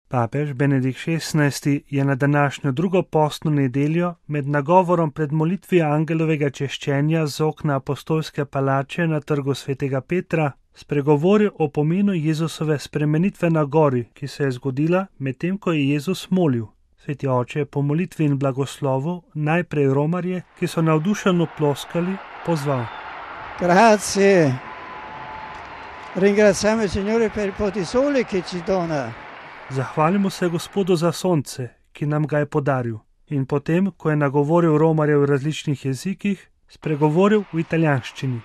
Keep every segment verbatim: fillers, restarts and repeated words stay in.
Papež Benedikt šestnajsti je na današnjo drugo postno nedeljo med nagovorom pred molitvijo angelovega češčenja z okna apostolske palače na trgu svetega Petra spregovoril o pomenu Jezusove spremenitve na gori, ki se je zgodila medtem, ko je Jezus molil. Sveti oče je po molitvi in blagoslovu najprej romarje, ki so navdušeno ploskali, pozval. Grazie. Ringraziamo il Signore per il po' di sole che ci dona. Zahvalimo se Gospodu za sonce, ki nam ga je podaril. In potem, ko je nagovoril romarje v različnih jezikih, spregovoril v italijanščini.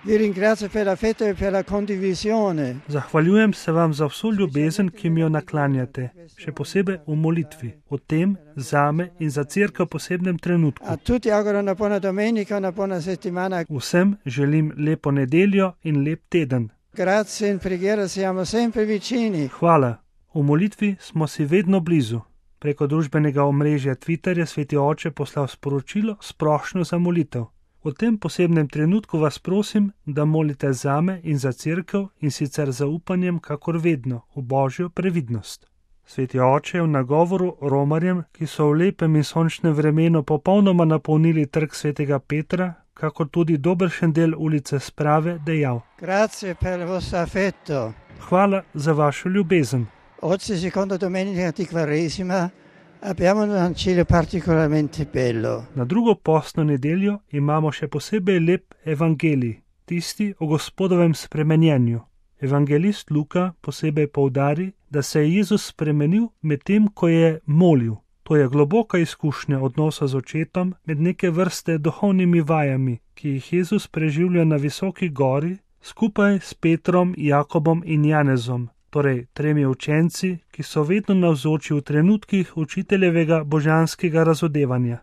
Vi ringrazio per l'affetto e per la condivisione. Zahvaljujem se vam za vso ljubezen, ki mi jo naklanjate, še posebej v molitvi, o tem, zame in za cerkev v posebnem trenutku. A tutti auguro una buona domenica, una buona settimana. Vsem želim lepo nedeljo in lep teden. Grazie, in preghiera siamo sempre vicini. Hvala. V molitvi smo si vedno blizu. Preko družbenega omrežja Twitter je sveti oče poslal sporočilo s prošnjo za molitev. V tem posebnem trenutku vas prosim, da molite zame in za cerkev in sicer zaupanjem, kakor vedno, v Božjo previdnost. Sveti oče je v nagovoru romarjem, ki so v lepem in sončnem vremenu popolnoma napolnili trg svetega Petra, kakor tudi dobršen del ulice Sprave, dejal. Grazie per il vostro affetto. Hvala za vašo ljubezen. Oggi, seconda domenica di Quaresima, abbiamo un Vangelo particolarmente bello. Na drugo postno nedeljo imamo še posebej lep evangelij, tisti o Gospodovem spremenjenju. Evangelist Luka posebej poudari, da se je Jezus spremenil medtem, ko je molil. To je globoka izkušnja odnosa z očetom med neke vrste duhovnimi vajami, ki jih Jezus preživlja na visoki gori skupaj s Petrom, Jakobom in Janezom, torej tremi učenci, ki so vedno navzoči v trenutkih učiteljevega božanskega razodevanja.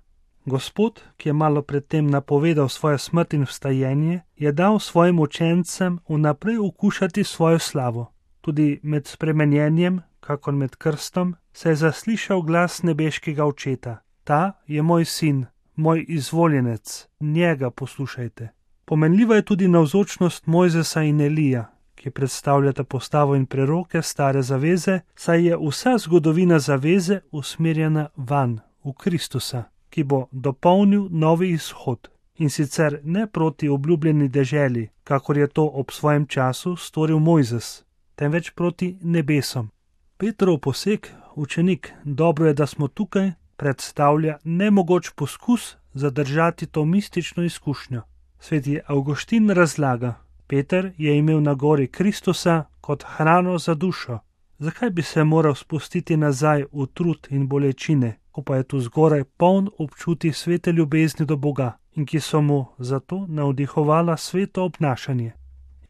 Gospod, ki je malo predtem napovedal svojo smrt in vstajenje, je dal svojim učencem vnaprej okušati svojo slavo. Tudi med spremenjenjem, kakor med krstom, se je zaslišal glas nebeškega očeta. Ta je moj sin, moj izvoljenec, njega poslušajte. Pomenljiva je tudi navzočnost Mojzesa in Elija, ki predstavljata postavo in preroke stare zaveze, saj je vsa zgodovina zaveze usmerjena van, v Kristusa, ki bo dopolnil novi izhod, in sicer ne proti obljubljeni deželi, kakor je to ob svojem času storil Mojzes, temveč proti nebesom. Petrov poseg, učenik, dobro je, da smo tukaj, predstavlja nemogoč poskus zadržati to mistično izkušnjo. Sveti Avguštin razlaga, Peter je imel na gori Kristusa kot hrano za dušo. Zakaj bi se moral spustiti nazaj v trud in bolečine, ko pa je tu zgoraj poln občutij svete ljubezni do Boga in ki so mu zato navdihovala sveto obnašanje?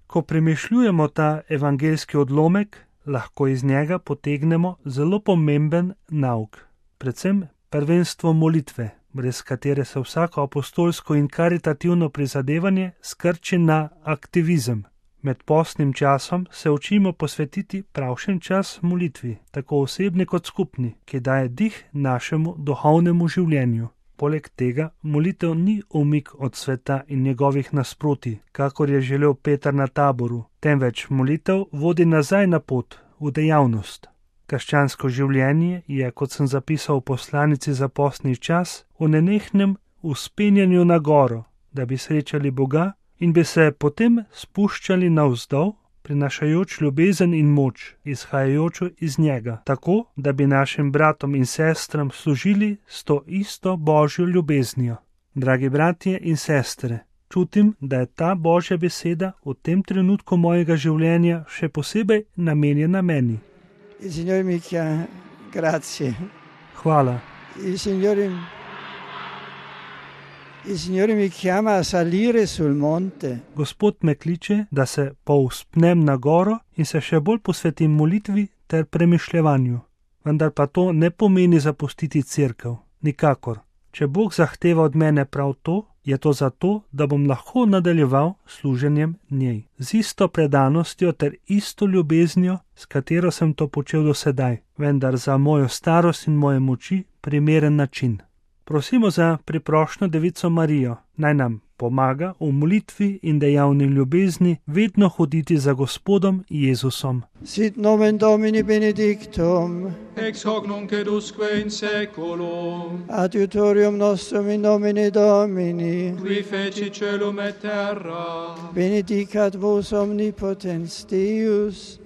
Ko premišljujemo ta evangeljski odlomek, lahko iz njega potegnemo zelo pomemben nauk, predvsem prvenstvo molitve, brez katere se vsako apostolsko in karitativno prizadevanje skrči na aktivizem. Med postnim časom se učimo posvetiti pravšen čas molitvi, tako osebni kot skupni, ki daje dih našemu duhovnemu življenju. Poleg tega molitev ni umik od sveta in njegovih nasprotij, kakor je želel Peter na Taboru, temveč molitev vodi nazaj na pot, v dejavnost. Krščansko življenje je, kot sem zapisal v poslanici za postni čas, v nenehnem vzpenjanju na goro, da bi srečali Boga in bi se potem spuščali navzdol, prinašajoč ljubezen in moč, izhajajočo iz njega, tako, da bi našim bratom in sestram služili s to isto Božjo ljubeznijo. Dragi bratje in sestre, čutim, da je ta Božja beseda v tem trenutku mojega življenja še posebej namenjena meni. Il Signore mi chiama, grazie. Hvala. Il Signore, il Signore mi chiama a salire sul monte. Gospod me kliče, da se povzpnem na goro in se še bolj posvetim molitvi ter premišljevanju. Vendar pa to ne pomeni zapustiti cerkev, nikakor. Če Bog zahteva od mene prav to, je to zato, da bom lahko nadaljeval služenjem njej. Z isto predanostjo ter isto ljubeznijo, s katero sem to počel do sedaj, vendar za mojo starost in moje moči primeren način. Prosimo za priprošnjo Devico Marijo, naj nam pomaga v molitvi in dejavni ljubezni vedno hoditi za Gospodom Jezusom. Sit nomen Domini benedictum, Ex hoc nunc et usque in saeculum, adiutorium nostrum in nomine Domini, qui feci celum et terra, benedicat vos omnipotens Deus,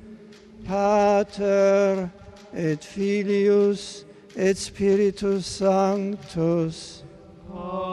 Pater et Filius et Spiritus Sanctus. Amen.